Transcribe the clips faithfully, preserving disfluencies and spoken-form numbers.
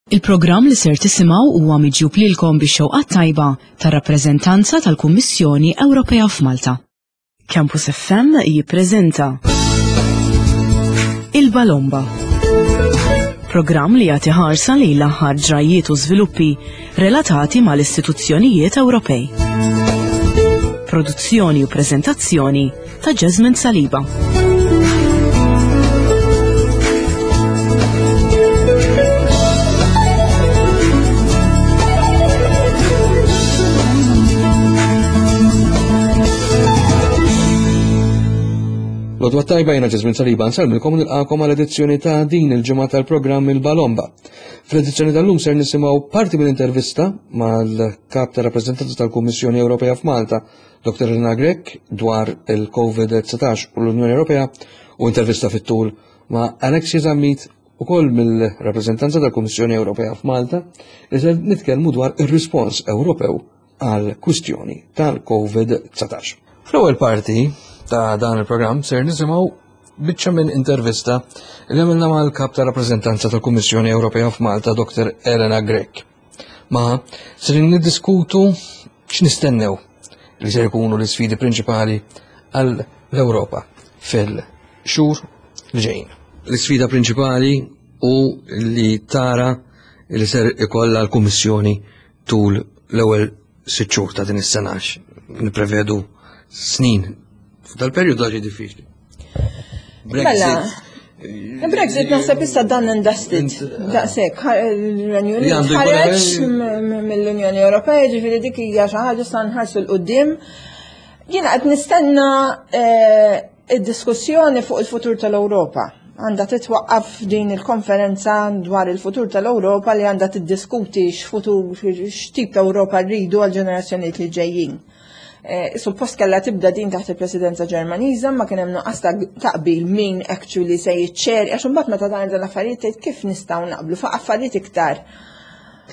Il-programm li ser tisimgħu huwa miġjub lilkom bix-xewqa tajba tar-rappreżentanza tal-Kummissjoni Ewropea f'Malta. Campus F M jippreżenta Il-Balomba. Programm li jagħti ħarsa lejn l-aħħar ġrajiet u żviluppi relatati mal-istituzzjonijiet Ewropej. Produzzjoni u preżentazzjoni ta' Jasmine Saliba. L-għodwa t-tajba, jiena Jasmine Saliba, nsellmilkom u nilqagħkom għal edizzjoni ta' din il-ġimgħa tal-programm Il-Balomba. Fl-edizzjoni tal-lum ser nisimgħu parti mill-intervista mal-kap ta' rappreżentanza tal-Kummissjoni Ewropea f'Malta, Doktor Elena Grech, dwar il-COVID dsatax u l-Unjoni Ewropea u intervista fit-tul ma' Alexia Zammit, ukoll mill-rappreżentanza tal-Kummissjoni Ewropea f'Malta, li ser nitkellmu dwar ir-rispons Ewropew għal kwistjoni tal-COVID dsatax. Fl-ewwel parti ta' dan il-programm ser nisimgħu biċċa minn intervista li għamilna mal-kap ta' rappreżentanza tal-Kummissjoni Ewropea f'Malta, Doktor Elena Grech. Ma ser niddiskutu x'nistennew li ser ikunu l-isfidi prinċipali għall-Ewropa fil-xhur li ġejjin. L-isfida prinċipali u li tara li ser ikollha l-Kummissjoni tul l-ewwel sitt xhur ta' din is-sena, nipprevedu snin. F'dal-perjodu ġi diffiċli. Mela, Brexit naħseb issa done and dusted. Daqshekk, il-Renju Li Unit għandu jkun ħareġ hemm- mill-Unjoni Ewropea, ġifieri dik hija xi ħaġa sa nħarsu 'l quddiem. Jiena qed nistenna eh, id-diskussjoni fuq il-futur tal-Ewropa. Għandha titwaqqaf din il-konferenza dwar il-futur tal-Ewropa li għandha tiddiskuti x'futur, x'tip ta' Ewropa rridu għal ġenerazzjonijiet li ġejjin. Eh, Suppost kellha tibda din taħt il-Presidenza Ġermaniża, ma kien hemm nuqqas ta' taqbil min actually se jiċċer, għax imbagħad meta dan dan l-affarijiet tgħid kif nistgħu naqblu fuq affarijiet iktar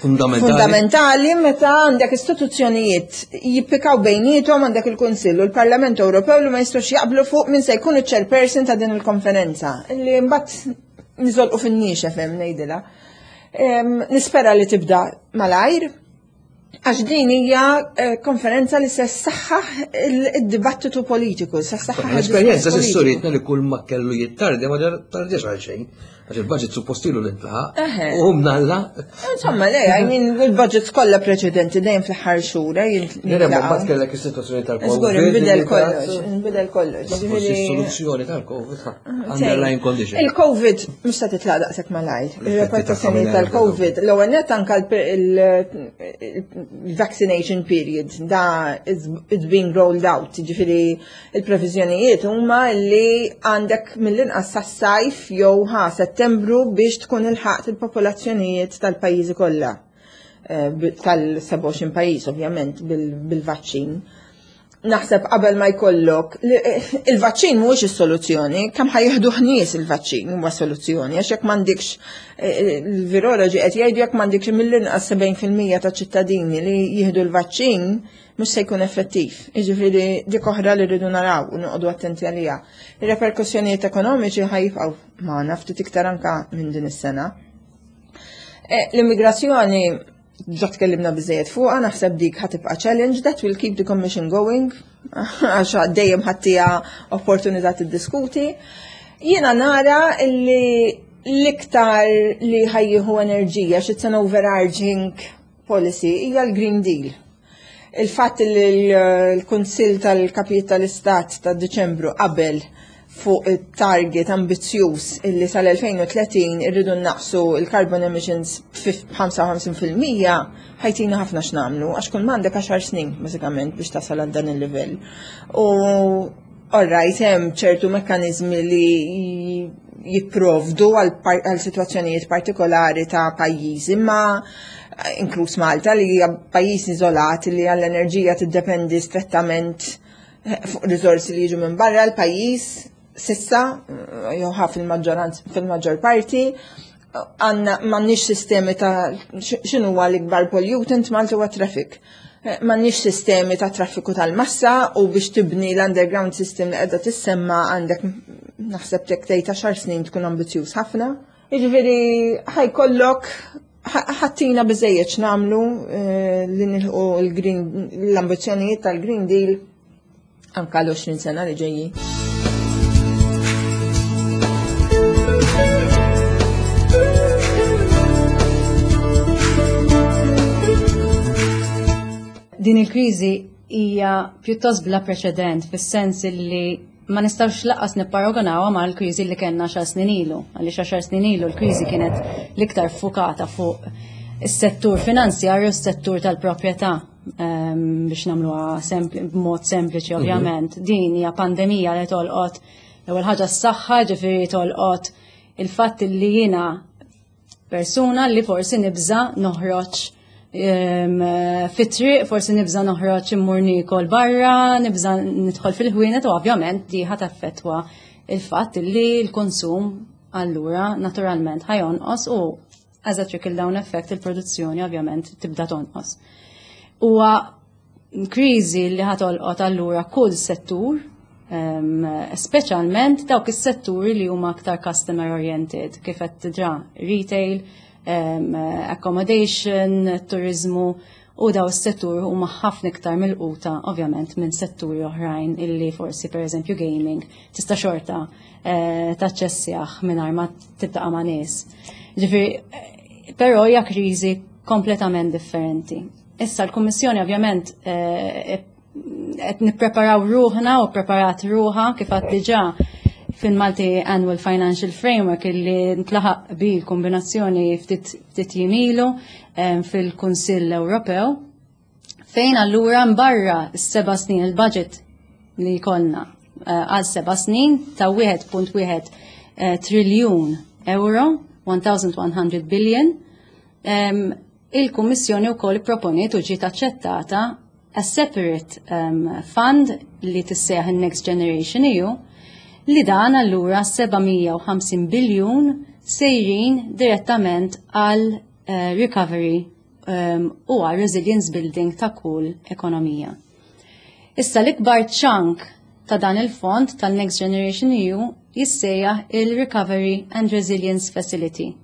fundamentali. Fundamentali meta għandek istituzzjonijiet jippikaw bejniethom, għandek il-Kunsill u l-Parlament Ewropew li ma jistgħux jaqblu fuq min se jkun iċ-chairperson ta' din il-konferenza. Li mbagħad niżolqu fin-niexef hemm ngħidilha. Em, Nispera li tibda malajr, għax din hija eh, konferenza li se ssaħħaħ il-dibattitu politiku, se ssaħħaħ L-esperjenza il-diskors s'issa politiku. urietna li kull ma kellu jittardi ma tardiex għal xejn. Għax il-budget suppost ilu l-intlaħaq. Eħe. U mnalla. Insomma, le, I mean, il-budgets kollha preċedenti dejjem fl-aħħar xhur, eh, Nere, ma jintlaqgħu. mbagħad kellek is-sitwazzjoni tal-Covid. Żgur, inbidel li kollox, tat- inbidel kollox. Forsi Ġifieri- s-soluzzjoni tal-Covid, ha, underlying condition. Il-Covid mhux se titlaq daqshekk malajr. Il-reperkussjoni tagħha tal-Covid, l-ewwel net anke il-vaccination period da is it's being rolled out, ġifieri il-previżjonijiet huma li għandek mill-inqas sas-sajf jew ħa Settembru biex tkun ilħaqt il-popolazzjonijiet tal-pajjiżi kollha. Eh, tal-sebgħa u għoxrin pajjiż ovvjament bil-vaċċin. Naħseb qabel ma jkollok li- il-vaċċin mhuwiex is-soluzzjoni, kemm ħa jieħdu nies il-vaċċin huwa soluzzjoni, għax jekk m'għandikx eh, il-viroloġi qed jgħidu jekk m'għandikx mill-inqas sebgħin fil-mija ta' ċittadini li jieħdu l-vaċċin, mhux se jkun effettiv. Jiġifieri dik oħra li rridu naraw u noqogħdu attenti għaliha. Ir-reperkussjonijiet ekonomiċi ħa jibqgħu magħna ftit iktar anka minn din is-sena. Eh, L-immigrazzjoni ġa tkellimna biżejjed fuqha, naħseb dik ħa tibqa' challenge, that will keep the commission going, għax dejjem ħa ttiha opportunità tiddiskuti. Jiena nara li l-iktar li ħa jieħu enerġija, it's an overarching policy, hija l-Green Deal. Il-fatt li l-Kunsill tal-Kapijiet tal-Istat ta' Diċembru qabel fuq il-target ambizzjuż illi sal-elfejn u tletin irridu naqsu il-carbon emissions b'ħamsa u ħamsin fil-mija ħa jtina ħafna x'nagħmlu, għax kull m'għandek għaxar snin bażikament biex tasal għal dan il-livell. U alright, hemm ċertu mekkaniżmi li jipprovdu għal par- għal situazzjonijiet partikolari ta' pajjiżi, ma inkluż Malta li hija pajjiż iżolat li għall-enerġija tiddependi strettament eh, fuq riżorsi li jiġu minn barra l-pajjiż s'issa, eh, jew ħa fil-maġġoranza, fil-maġġor parti għandna m'għandniex sistemi ta' x'inhu huwa l-ikbar pollutant Malta huwa traffic. Eh, M'għandniex sistemi ta' traffiku tal-massa u biex tibni l-underground system li qiegħda tissemma għandek naħseb tek tgħid għaxar snin tkun ambizzjuż ħafna. Jiġifieri ħa jkollok ħa ttina biżżejjed x'nagħmlu eh, li nilħqu l-ambizzjonijiet tal-Green Deal anka l-għoxrin sena li ġejjin. Din il-kriżi hija pjuttost bla preċedent, fis-sens li ma nistgħux lanqas nipparagonawha ma' l-kriżi li kellna għaxar snin ilu, għaliex għaxar snin ilu l-kriżi kienet l-iktar fukata fuq is-settur finanzjarju u s-settur tal-proprjetà, ehm, biex nagħmluha b'mod sempliċi, mhm. ovvjament. Din hija pandemija li tolqot l-ewwel ħaġa s-saħħa, ġifieri tolqot il-fatt li jiena persuna li forsi nibża noħroġ fit-triq, forsi nibża noħroġ immur nikol barra, nibża nidħol fil-ħwienet, u ovvjament di ħa taffettwa il-fatt li l-konsum allura naturalment ħa jonqos u as a trickle down effect il-produzzjoni ovvjament tibda tonqos. Huwa kriżi li ħa tolqot allura kull settur, um, speċjalment dawk is-setturi li huma aktar customer oriented, kif qed diġà retail, um, accommodation, turizmu, u daw s-settur huma ħafna iktar milquta ovvjament minn setturi oħrajn illi forsi, per eżempju, gaming tista' xorta eh, taċċessjah mingħajr ma tiltaqa' ma' nies. Ġifieri, eh, però hija kriżi kompletament differenti. Issa l-Kummissjoni ovvjament eh, qed nippreparaw ruħna u preparat ruħha, kif għad diġà fil-Multi Annual Financial Framework illi ntlaħaq bil-kombinazzjoni ftit ftit jiem ilu fil-Kunsill Ewropew, fejn allura mbarra s-seba' snin il-budget li jkollna eh, għal seba' snin ta' wieħed punt wieħed eh, triljun euro, elf u mitt billion, il-Kummissjoni wkoll proponiet u ġiet aċċettata a separate um, fund li tissejjaħ il-Next Generation E U, li dan allura seba' mija u ħamsin biljun sejrin direttament għal uh, recovery um, u għal resilience building ta' kull ekonomija. Issa l-ikbar chunk ta' dan il-fond tal-Next Generation E U jissejjaħ il-Recovery and Resilience Facility.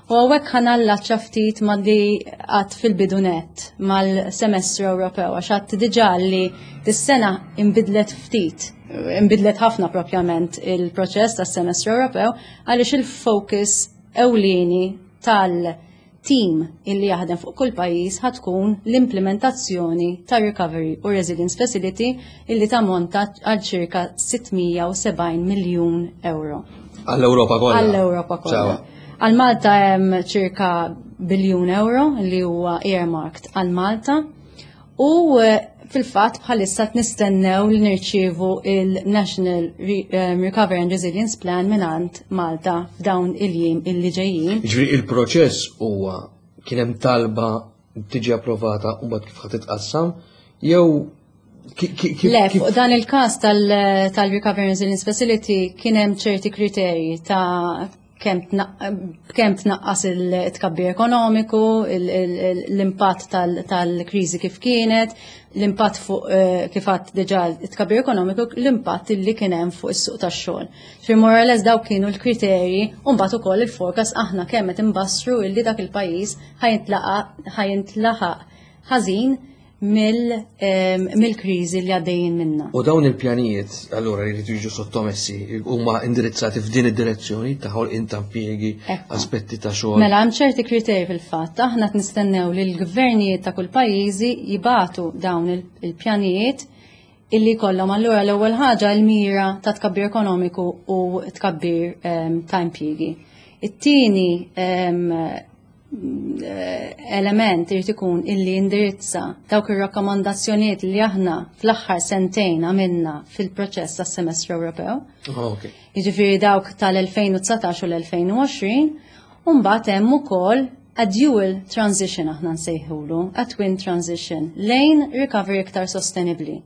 U hawnhekk ħa nallaċċa ftit ma' li għedt fil-bidu nett mal-semestru Ewropew, għax għedt diġà li dis-sena imbidlet ftit, imbidlet ħafna propjament il-proċess tas-semestru Ewropew, għaliex il-focus ewlieni tal-team illi jaħdem fuq kull pajjiż ħa tkun l-implementazzjoni ta' Recovery u Resilience Facility, illi tammonta għal ċirka sitt mija u sebgħin miljun euro. Għall-Ewropa kollha. Għall-Ewropa kollha. Għal Malta hemm ċirka biljun euro li huwa earmarked għal Malta u eh, fil-fatt bħalissa nistennew li nirċievu il-National eh, Recovery and Resilience Plan mingħand Malta f'dawn il-jiem illi ġejjin. Ġifieri il-proċess huwa kien hemm talba, tiġi approvata u mbagħad kif ħa titqassam jew Le, fuq dan il-każ tal-Recovery and Resilience Facility kien hemm ċerti kriterji ta' kemm tnaqqas il-tkabbir ekonomiku, l-impatt tal-kriżi kif kienet, l-impatt fuq eh, kif għedt diġà it-tkabbir ekonomiku, l-impatt li kien hemm fuq is-suq tax-xogħol. Fi more or less dawk kienu l-kriterji, u mbagħad ukoll il-forecast, aħna kemm qed imbassru illi dak il-pajjiż ħa jintlaqat ħażin mill-kriżi li għaddejjin minna. U dawn il-pjanijiet, allura, jridu jiġu sottomessi, huma indirizzati f'din id-direzzjoni ta' ħolqien ta' impjiegi, aspetti ta' xogħol? Mela, hemm ċerti kriterji fil-fatt, aħna qed nistennew li l-gvernijiet ta' kull pajjiżi jibagħtu dawn il-pjanijiet illi kollhom allura l-ewwel ħaġa l-mira ta' tkabbir ekonomiku u tkabbir ta' impjiegi. It-tieni element irid ikun illi indirizza dawk ir-rakkomandazzjonijiet li aħna fl-aħħar sentejn għamilna fil-proċess tas-semestru Ewropew. Oh, Jiġifieri dawk tal-elfejn u dsatax u l-elfejn u għoxrin, u mbagħad hemm ukoll a dual transition, aħna nsejħulu, a twin transition lejn recovery iktar sostenibli.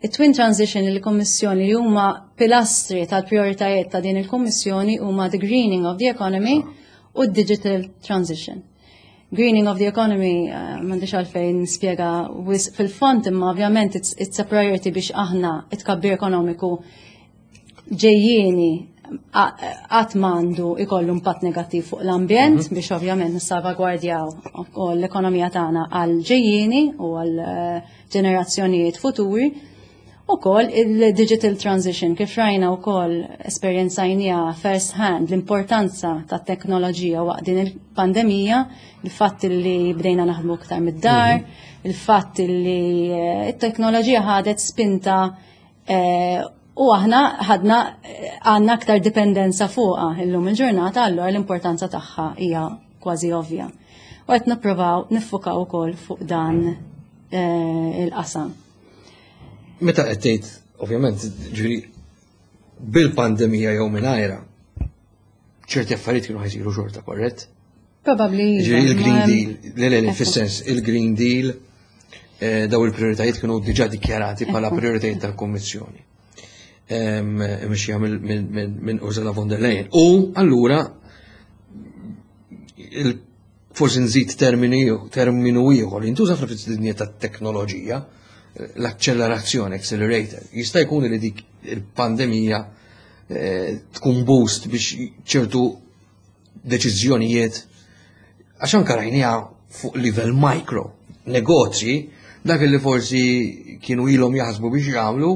It-twin transition, il-Kommissjoni li huma pilastri tal-prioritajiet ta' din il-Kommissjoni huma the greening of the economy u digital transition. Greening of the economy, uh, m'għandix għalfejn nispjega fil-fond, imma ovvjament it's, it's a priority biex aħna it-tkabbir ekonomiku ġejjieni Qatt m'għandu ikollu impatt negattiv fuq l-ambjent mhm. biex ovvjament nissalvagwardjaw l-ekonomija tagħna għal ġejjieni u għal eh, ġenerazzjonijiet futuri. Ukoll il-digital transition, kif rajna wkoll, esperjenzajnieha first hand l-importanza ta' teknoloġija waqt din il-pandemija, il-fatt li bdejna naħdmu iktar mid-dar, mhm. il-fatt li eh, it-teknoloġija ħadet spinta eh, u aħna ħadna għandna aktar dipendenza fuqha illum il-ġurnata, allura l-importanza tagħha hija kważi ovvja. U qed nippruvaw niffukaw ukoll fuq dan eh, il-qasam. Meta qed tgħid, ovvjament, ġifieri bil-pandemija jew mingħajra, ċerti affarijiet kienu ħa jsiru xorta, korrett? Probably. Ġifieri il-Green Deal, le le le, fis-sens il-Green Deal, eh, daw il-prioritajiet kienu diġà dikjarati bħala prioritajiet tal-Kommissjoni. Mxija minn Ursula von der Leyen. U allura forsi nżid termini terminu ieħor jintuża fid-dinja tat-teknoloġija, l-accelerazzjoni, accelerator. Jista' jkun li dik il-pandemija eh, tkun boost biex ċertu deċiżjonijiet, għax anka rajniha fuq livell micro, negozji, dak li forsi kienu ilhom jaħsbu biex jagħmlu,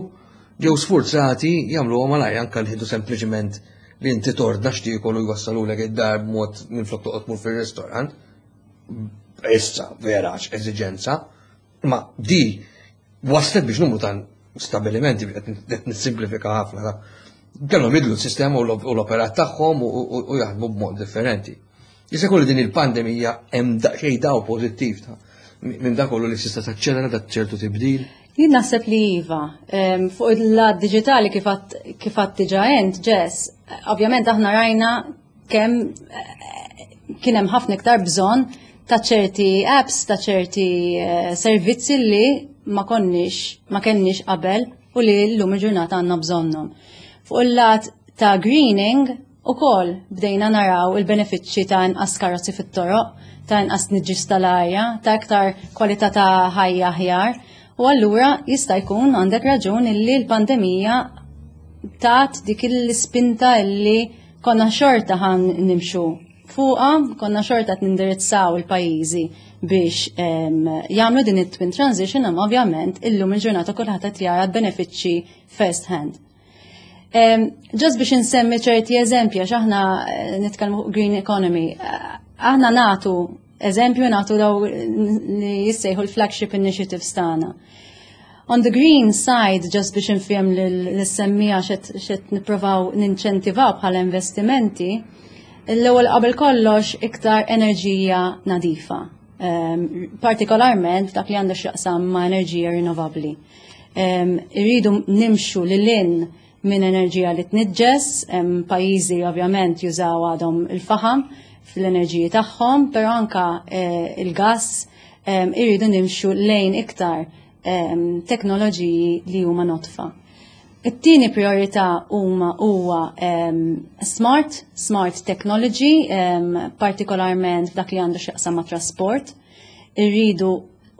ġew sforzati jagħmlu malaj, anka li sempliċement li inti tordna x'tiekol u jwassalulek id-dar b'mod minflok toqgħod tmur fir-ristorant. Issa vera għax eżiġenza, ma di waslet biex numru ta' stabilimenti, qed nissimplifika ħafna, ta' kellhom jibdlu s-sistema u l-operat tagħhom u jaħdmu b'mod differenti. Jista' jkun li din il-pandemija hemm daqsxejn daw pożittiv ta' minn dak kollu li tista' taċċelera dak ċertu tibdil? Jien naħseb li iva. Fuq il-lat digitali, kif għedt diġà int, Jess, ovvjament aħna rajna kemm eh, kien hemm ħafna iktar bżonn ta' ċerti apps, ta' ċerti eh, servizzi li ma konniex, ma kenniex qabel u li l-lum il-ġurnata għandna bżonnhom. Fuq il-lat ta' greening, ukoll bdejna naraw il-benefiċċji ta' inqas karozzi fit-toroq, ta' inqas tniġġis tal-arja, ta' iktar kwalità ta' ħajja aħjar. U allura jista' jkun, għandek raġun, illi l-pandemija tat dik l-ispinta illi konna xorta ħa nimxu fuqha, konna xorta nindirizzaw il-pajjiżi biex jagħmlu din it-twin transition, imma ovvjament illum il-ġurnata kulħadd qed jara benefiċċji first hand. Just biex insemmi ċerti eżempji, għax aħna eh, nitkellmu green economy, eh, aħna nagħtu eżempju, nagħtu daw li jissejħu l-flagship initiatives tagħna. On the green side, just biex nfhem lis-semmiegħa x'qed nippruvaw ninċentivaw bħala investimenti, l-ewwel qabel kollox iktar enerġija nadifa. Um, partikolarment dak li għandu x'jaqsam ma' enerġija rinnovabbli. Um, irridu nimxu lil hinn minn enerġija li tniġġes, pajjiżi ovvjament jużaw għadhom il-faħam fl-enerġiji tagħhom, però anka eh, il-gas, irridu nimxu lejn iktar teknoloġiji li huma nodfa. It-tieni priorità huma huwa smart, smart technology, partikolarment f'dak li għandu x'jaqsam ma' trasport. Irridu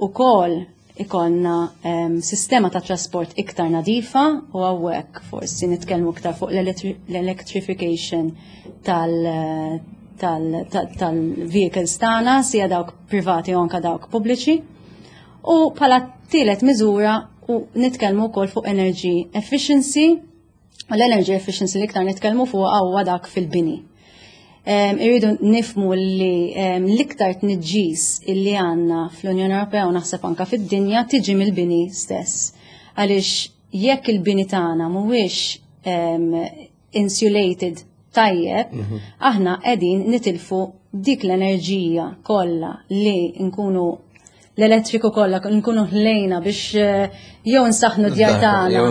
ukoll ikollna um, sistema ta' trasport iktar nadifa u hawnhekk forsi nitkellmu iktar fuq l-electrification tal- tal-vehicles tagħna, sija dawk privati u anka dawk pubbliċi. U bħala tielet miżura u nitkellmu wkoll fuq energy efficiency, u l-energy efficiency li iktar nitkellmu fuq huwa dak fil-bini. Irridu nifhmu li l-iktar tniġġis illi għandna fl-Unjoni Ewropea u naħseb anka fid-dinja tiġi mill-bini stess. Għaliex jekk il-bini tagħna mhuwiex insulated tajjeb, mhm. aħna qegħdin nitilfu dik l-enerġija kollha li nkunu, l-elettriku kollha nkunu ħlejna biex eh, jew nsaħnu d-djar tagħna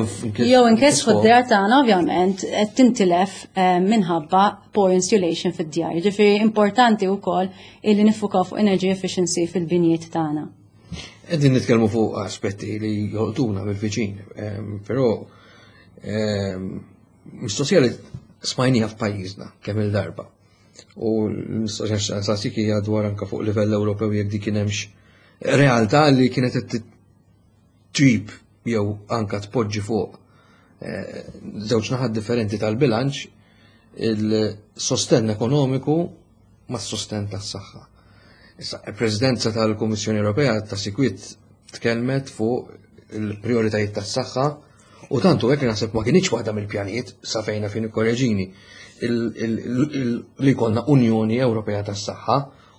jew nkessħu d-djar tagħna, ovvjament qed tintilef eh, minħabba poor insulation fid-djar. Ġifieri importanti wkoll illi niffukaw fuq energy efficiency fil-binjiet tagħna. Qegħdin nitkellmu fuq aspetti li jolqtuna bil-viċin, ehm, però ehm, mistoqsija li smajnija f'pajjiżna kemm il-darba. U l-mistoqsija nsaqsik hija dwar anka fuq livell Ewropew jekk dik kien hemmx realtà li kienet qed tġib jew anka tpoġġi fuq eh, żewġ naħat differenti tal-bilanċ. Il-sostenn ekonomiku mas-sostenn tas-saħħa. Issa, il-Presidenza tal-Kummissjoni Ewropea ta' sikwit tkellmet fuq il-prioritajiet tas-saħħa u tantu hekk naħseb ma kienx waħda mill-pjanijiet, sa fejna fin ikkoreġini, li jkollna Unjoni Ewropea tas-Saħħa,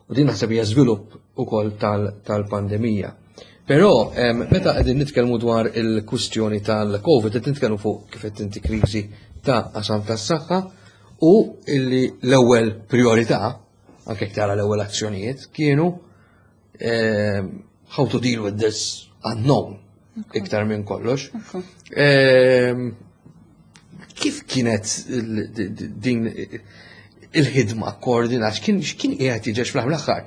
u din naħseb hija żvilupp ukoll tal-pandemija. Però meta qegħdin nitkellmu dwar il-kwistjoni tal-Covid, qed nitkellmu fuq, kif qed inti, kriżi ta' qasam tas-saħħa u illi l-ewwel priorità, anke tara l-ewwel azzjonijiet, kienu how to deal with this unknown iktar minn kollox. Kif kienet din il-ħidma koordinat? X'kien qiegħed jiġi fl-aħħar?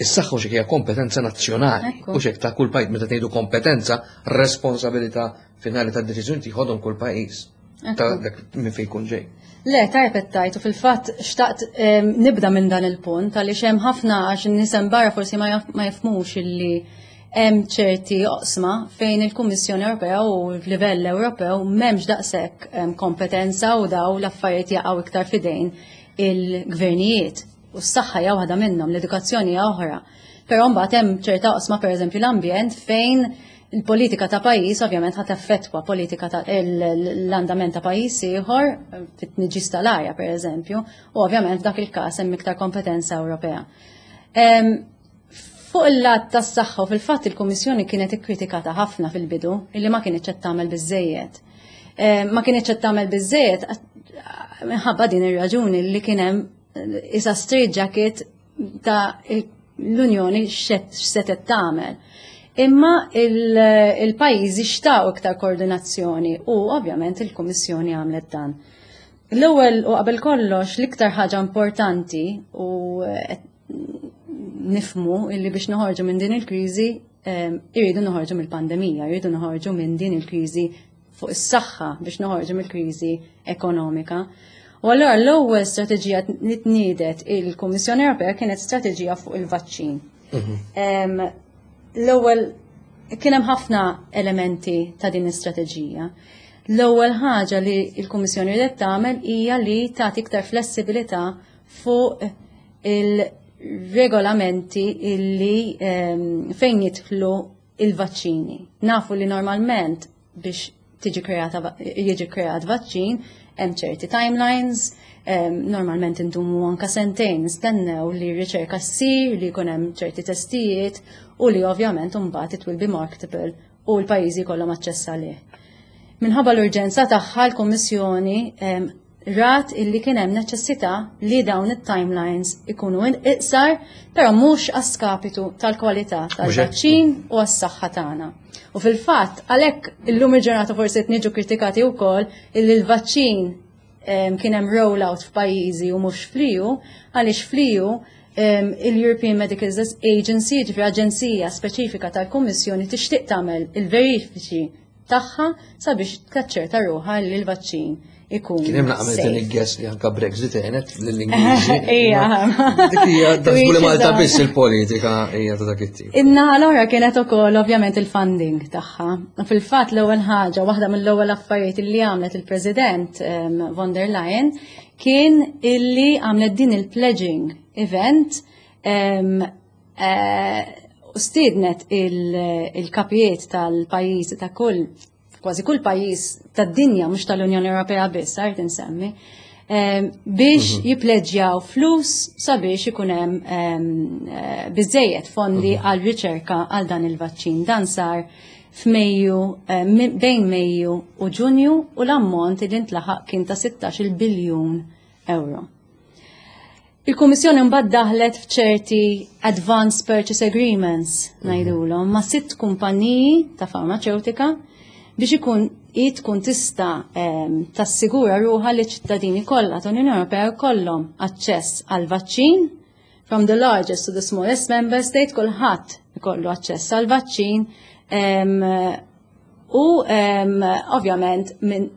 Is-saħħa u hija kompetenza nazzjonali u xek ta' kull pajjiż. Meta tgħidu kompetenza, responsabilità finali tad deċiżjoni tieħodhom kull pajjiż ta' dak minn fejn jkun ġej. Le, tajb tajt, u fil-fatt xtaqt nibda minn dan il-punt, għaliex hemm ħafna, għax in-nies barra forsi ma jafmux illi hemm ċerti oqsma fejn il-Kummissjoni Ewropea u f'livell Ewropew m'hemmx daqshekk kompetenza u daw l-affarijiet jaqgħu iktar fidejn il-gvernijiet. U s-saħħa hija waħda minnhom, l-edukazzjoni hija oħra. Però mbagħad hemm ċerta oqsma, pereżempju l-ambjent, fejn il-politika ta' pajjiż ovvjament ħa taffettwa politika ta' l-andament ta' pajjiż ieħor fit-tniġġis tal-arja, pereżempju, u ovvjament f'dak il-każ hemm iktar kompetenza Ewropea. Fuq il-lat tas-saħħa, u fil-fatt il-Kummissjoni kienet ikkritikata ħafna fil-bidu illi ma kienx qed tagħmel biżejjed. Ma kienx qed tagħmel biżejjed minħabba din ir-raġuni li kien hemm isa straight jacket ta' l-Unjoni x'setet tagħmel. Imma il-pajjiżi xtaqu iktar koordinazzjoni u ovvjament il-Kummissjoni għamlet dan. L-ewwel u qabel kollox, l-iktar ħaġa importanti u nifmu illi biex noħorġu minn din il-kriżi irridu noħorġu mill-pandemija, irridu noħorġu minn din il-kriżi fuq is-saħħa biex noħorġu mill-kriżi ekonomika. U allura l-ewwel strateġija li tniedet il-Kummissjoni Ewropea kienet strateġija fuq il-vaċċin. Mhm. L-ewwel kien hemm ħafna elementi ta' din l-istrateġija. L-ewwel ħaġa li l-Kummissjoni riedet tagħmel hija li tagħti iktar flessibilità fuq il-regolamenti illi fejn jidħlu il-vaċċini. Nafu li normalment biex tiġi kreata jiġi kreat vaċċin hemm ċerti timelines, normalment indumu anka sentejn nistennew li r-riċerka ssir, li jkun hemm ċerti testijiet u li ovvjament imbagħad it will be marketable u l-pajjiżi jkollhom aċċess għalih. Minħabba l-urġenza tagħha, l-Kummissjoni rat illi kien hemm neċessità li dawn it-timelines ikunu iqsar, però mhux għas-skapitu tal-kwalità tal-vaċċin u għas-saħħa tagħna. U fil-fatt, għalhekk illum il-ġurnata forsi qed niġu kritikati wkoll illi l-vaċċin kien hemm rollout f'pajjiżi u mhux fl-E U, għaliex fl-E U il-European Medical Agency, ġifieri aġenzija speċifika tal-Kummissjoni, tixtieq tagħmel il-verifiċi tagħha sabiex taċċerta ruħha li l-vaċċin ikun. Kien hemm naqmel din il-guess li anka Brexit għenet lill-Ingliżi. Ija. Dik hija taħsbu li Malta biss il-politika hija ta' dak it-tip. In-naħa l-oħra kienet ukoll ovvjament il-funding tagħha. Fil-fatt l-ewwel ħaġa, waħda mill-ewwel affarijiet li għamlet il-President von der Leyen kien illi għamlet din il-pledging event eh, u stiednet il-kapijiet tal-pajjiżi ta' kull kważi kull pajjiż tad-dinja, mhux tal-Unjoni Ewropea biss, għart insemmi, biex mhm. jippleġġjaw flus sabiex ikun hemm eh, biżejjed fondi mhm. għal riċerka għal dan il-vaċċin. Dan sar f'Mejju, bejn Mejju u Ġunju, u l-ammont li ntlaħaq kien ta' sittax-il biljun euro. Il-Kummissjoni mbagħad daħlet f'ċerti Advanced Purchase Agreements, ngħidulhom, ma' sitt kumpaniji ta' farmaceutika biex ikun i tkun tista' tassigura ruħha li ċittadini kollha tal-Unjoni Ewropea jkollhom aċċess għal vaċċin, from the largest to the smallest member state, kulħadd ikollu aċċess għal vaċċin u ovvjament minn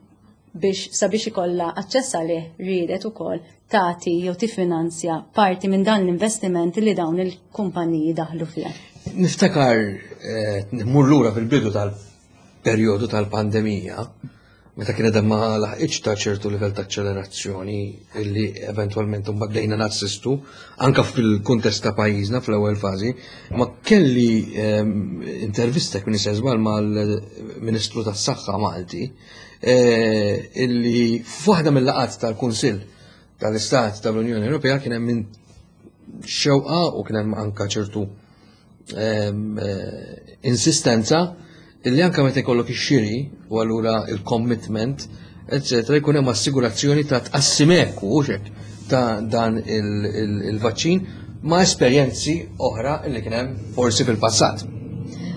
biex sabiex ikollha aċċess għalih riedet ukoll tagħti jew tiffinanzja parti minn dan l-investiment li dawn il-kumpaniji daħlu fih. Niftakar eh, mur lura fil-bidu tal-perjodu tal-pandemija, meta kienet ma laħqitx ta' ċertu livell ta' accelerazzjoni illi eventwalment mbagħad bdejna nassistu anka fil-kuntest ta' pajjiżna fl-ewwel fażi, ma kelli ehm, intervista kien żball mal-Ministru tas-Saħħa Malti eh, illi f'waħda mill-laqgħat tal-Kunsill tal-Istat tal-Unjoni Ewropea kien hemm xewqa u kien hemm anka ċertu ehm, eh, insistenza illi anka meta jkollok ix-xiri u allura il-commitment, eccetera, jkun hemm assigurazzjoni ta' tqassim ekwu u hekk ta' dan il-vaċċin ma' esperjenzi oħra illi kien hemm forsi fil-passat.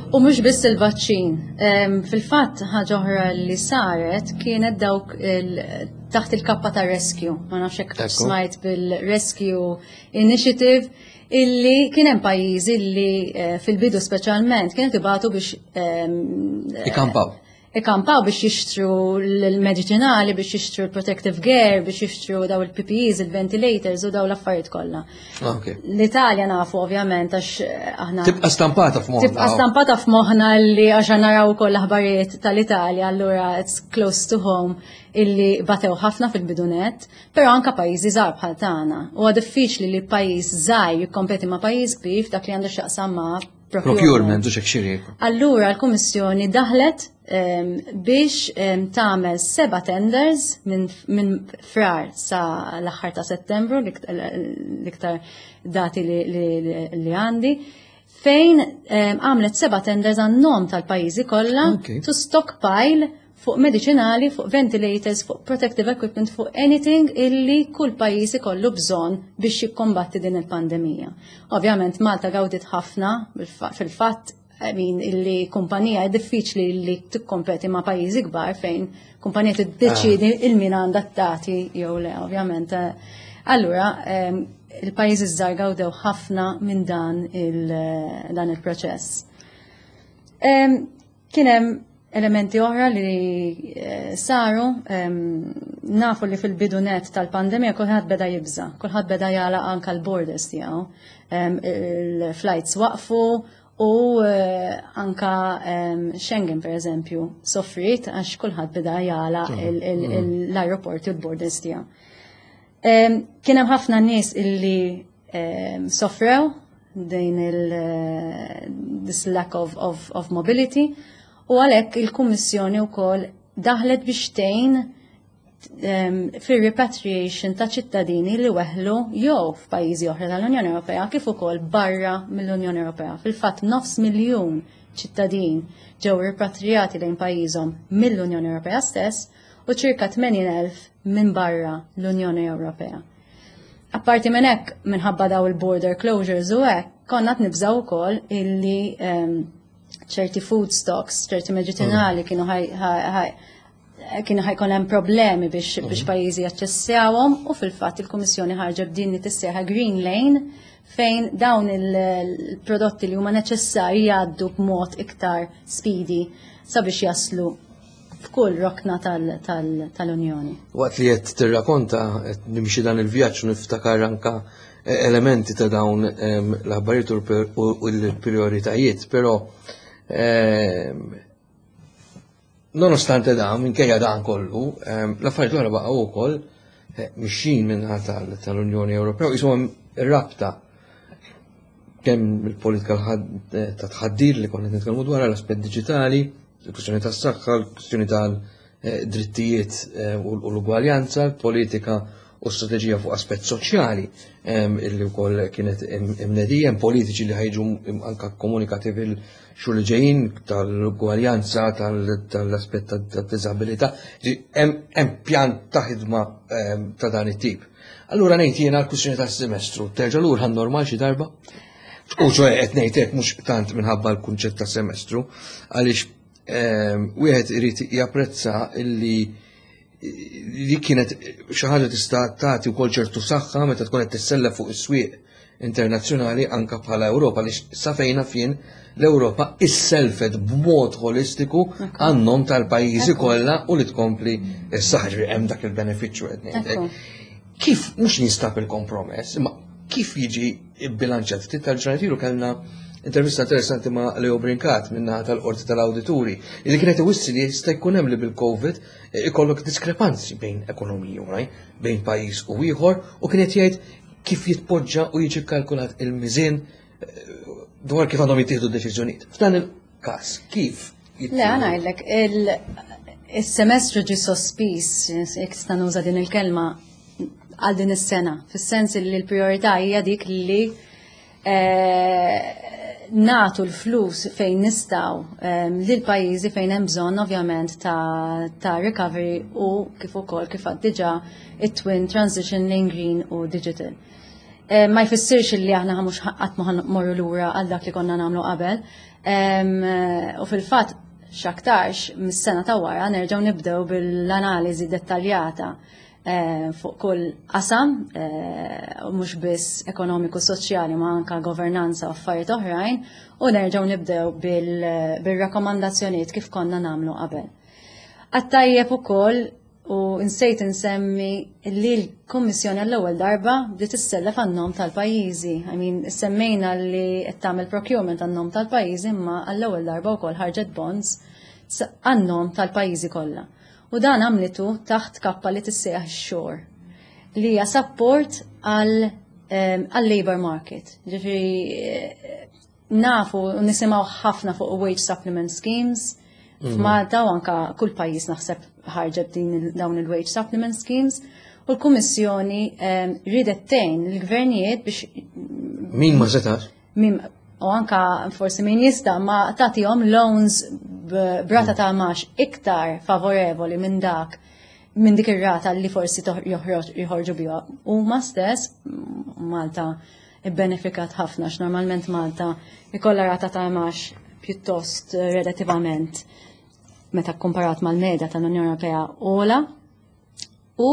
U mhux biss il-vaċċin. Fil-fatt, ħaġa oħra li saret kienet dawk taħt il-kappa ta' Rescue. Ma nafx hekk smajt bil-Rescue Initiative, illi kien hemm pajjiżi li eh, fil-bidu speċjalment kienet ibatu biex ikampaw. Ikampaw biex jixtru l-medicinali, biex jixtru l-protective gear, biex jixtru daw il-P P Es, il-ventilators u daw l-affarijiet kollha. Ah, L-Italja nafu ovvjament, għax eh, aħna Tibqa' stampata f'moħħna. Tibqa' stampata f'moħħna li għax naraw ukoll l-aħbarijiet tal-Italja, allura it's close to home illi batew ħafna fil-bidu net, però anka pajjiżi żgħar bħal tagħna. Huwa diffiċli li pajjiż żgħir jikkompeti ma' pajjiż kbir f'dak li għandu x'jaqsam ma' procurement u xek xiri. Allura l-Kummissjoni daħlet um, biex um, tagħmel seba' tenders minn min Frar sa l-aħħar ta' Settembru, l-iktar dati li, li, li għandi, fejn għamlet seba' tenders għan-nom tal-pajjiżi kollha Okay. to stockpile fuq medicinali, fuq ventilators, fuq protective equipment, fuq anything illi kull pajjiż ikollu bżonn biex jikkombatti din il-pandemija. Ovvjament Malta gawdit ħafna fil-fatt, I mean, illi kumpanija, diffiċli li tikkompeti ma' pajjiżi kbar fejn kumpanija tiddeċidi il min għandha tagħti jew le, ovvjament. Allura, il-pajjiżi żgħar gawdew ħafna minn dan il- dan il-proċess. Kien hemm elementi oħra li eh, saru, nafu li fil-bidu net tal-pandemija kulħadd beda jibża, kulħadd beda jagħlaq anka l-borders tiegħu. Il-flights waqfu u eh, anka Schengen, per eżempju, soffrit għax kulħadd beda jagħlaq l-aeroporti u l-borders tiegħu. Kien hemm ħafna nies illi soffrew din il eh, this lack of, of, of mobility u għalhekk il-Kummissjoni wkoll daħlet biex tgħin fir-repatriation ta' ċittadini li weħlu jew f'pajjiżi oħra tal-Unjoni Ewropea kif ukoll barra mill-Unjoni Ewropea. Fil-fatt, nofs miljun ċittadin ġew ripatriati lejn pajjiżhom mill-Unjoni Ewropea stess u ċirka tmenin elf minn barra l-Unjoni Ewropea. Apparti minn hekk, minħabba daw il-border closures u hekk, konna nibżaw ukoll illi ċerti food stocks, ċerti medicinali kienu kienu ħa jkun hemm problemi biex biex pajjiżi jaċċessjawhom u fil-fatt il-Kummissjoni ħarġet b'din li tissejjaħ Green Lane, fejn dawn il-prodotti li huma neċessarji jgħaddu b'mod iktar speedy sabiex jaslu f'kull rokna tal-Unjoni. Waqt li qed tirrakonta, qed nimxi dan il-vjaġġ u niftakar anka elementi ta' dawn l-aħbarijiet u l-prioritajiet, però nonostante dan, minkejja dan kollu, l-affarijiet l-oħra baqgħu wkoll eh, mixjin minnaħa tal-Unjoni Ewropea, jisimhom ir-rabta kemm il-politika ta' tħaddir li konna nitkellmu dwar l-aspett diġitali, il-kwistjoni tas-saħħa, il-kwistjoni tal-drittijiet eh, u l-ugwaljanza, l-politika u strateġija fuq aspett soċjali illi wkoll kienet imnedija, politiċi li ħa jiġu anka komunikati fil-xhur li ġejjin tal-ugwaljanza, tal-aspett tad-diżabilità. Hemm pjan ta' ħidma ta' dan it-tip. Allura ngħid jiena, l-kwistjoni tas-semestru terġa' lura normal xi darba? U ċoè, qed ngħid hekk mhux tant minħabba l-kunċett ta' semestru, għaliex wieħed irid japprezza illi li kienet xi ħaġa tista' tagħti wkoll ċertu saħħa meta tkun qed tissellef fuq is-swieq internazzjonali anka bħala Ewropa, li sa fejna fien l-Ewropa isselfet b'mod holistiku għan-nom tal-pajjiżi kollha u li tkompli s-saħħa, hemm dak il-benefiċċju qed ngħidlek. Kif mhux jinstab il-kompromess, imma kif jiġi bilanċat? Ftit tal-ġranet ilu kellna intervista interessanti ma' Leo Brincat minna tal-Qorti tal-Awdituri, li kienet iwissi li jista' jkun hemm li bil-Covid ikollok diskrepanzi bejn ekonomiji oħrajn, bejn pajjiż u ieħor, u kienet jgħid kif jitpoġġa u jiġi kalkulat il-miżien eh, dwar kif għandhom jittieħdu deċiżjonijiet. F'dan il-każ, kif? Le, ngħidlek, il-semestru ġi sospiż, jekk tista' nuża din il-kelma, għal din is-sena, fis-sens li l-priorità hija dik li eh, nagħtu l-flus fejn nistgħu eh, lil pajjiżi fejn hemm bżonn ovvjament ta', ta recovery u kif ukoll kif għad diġà it-twin transition lane green u digital. Eh, ma jfissirx li aħna mhux qatt ma morru lura għal dak li konna nagħmlu qabel. U fil-fatt x'aktarx mis-sena ta' wara nerġgħu nibdew bil-analiżi dettaljata eh, fuq kull qasam, eh, mhux biss ekonomiku soċjali ma anka governanza u affarijiet oħrajn, u nerġgħu nibdew bil-rakkomandazzjonijiet kif konna nagħmlu qabel. Għat-tajjeb ukoll u nsejt insemmi li l-Kummissjoni għall-ewwel darba bdiet issellef għan-nom tal-pajjiżi. I mean, semmejna li qed tagħmel procurement għan-nom tal-pajjiżi imma għall-ewwel darba wkoll ħarġet bonds għan-nom tal-pajjiżi kollha. U dan għamlitu taħt kappa li tissejjaħ SURE li hija support għal għal labor market. Ġifieri nafu u nisimgħu ħafna fuq wage supplement schemes. F'Malta u anka kull pajjiż naħseb ħarġet din dawn il-wage supplement schemes u l-Kummissjoni ridet tgħin l-gvernijiet biex Min ma setax? Min u anka forsi min jista' ma tagħtihom loans b'rata ta' imgħax iktar favorevoli minn dak minn dik ir-rata li forsi joħorġu biha. Huma stess Malta ibbenefikat ħafna x'normalment Malta ikollha rata ta' imgħax pjuttost relativament meta komparat mal-medja tal-Unjoni Ewropea ogħla. U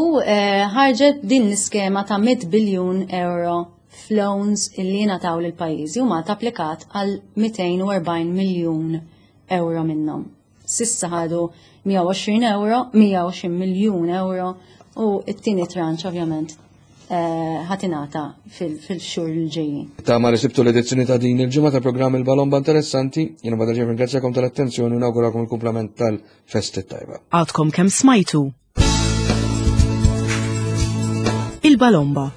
ħarġet din l-iskema ta' mitt biljun euro f'loans illi ngħataw lil pajjiżi u Malta applikat għal mitejn u erbgħin miljun euro minnhom. S'issa ħadu mija u għoxrin euro, mija u għoxrin miljun euro u t-tieni tranche ovvjament ħa tingħata fil-xhur l-ġejjin. Ta' ma risibtu l-edizzjoni ta' din il-ġimgħa ta' programm il-Balomba interessanti, jiena bada ġej ringrazzjakom tal-attenzjoni u nawgurakom il-kumplament tal-festi tajba. Għadkom kemm smajtu Il-Balomba.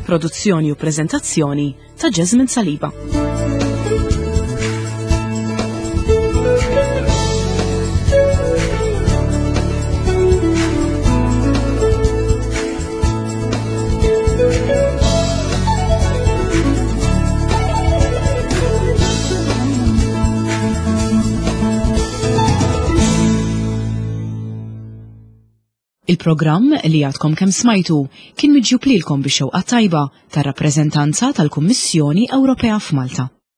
Produzzjoni u preżentazzjoni ta' Jasmine Saliba. Il-programm li għadkom kemm smajtu kien miġjub lilkom bix-xewqa tajba tar-rappreżentanza tal-Kummissjoni Ewropea f'Malta.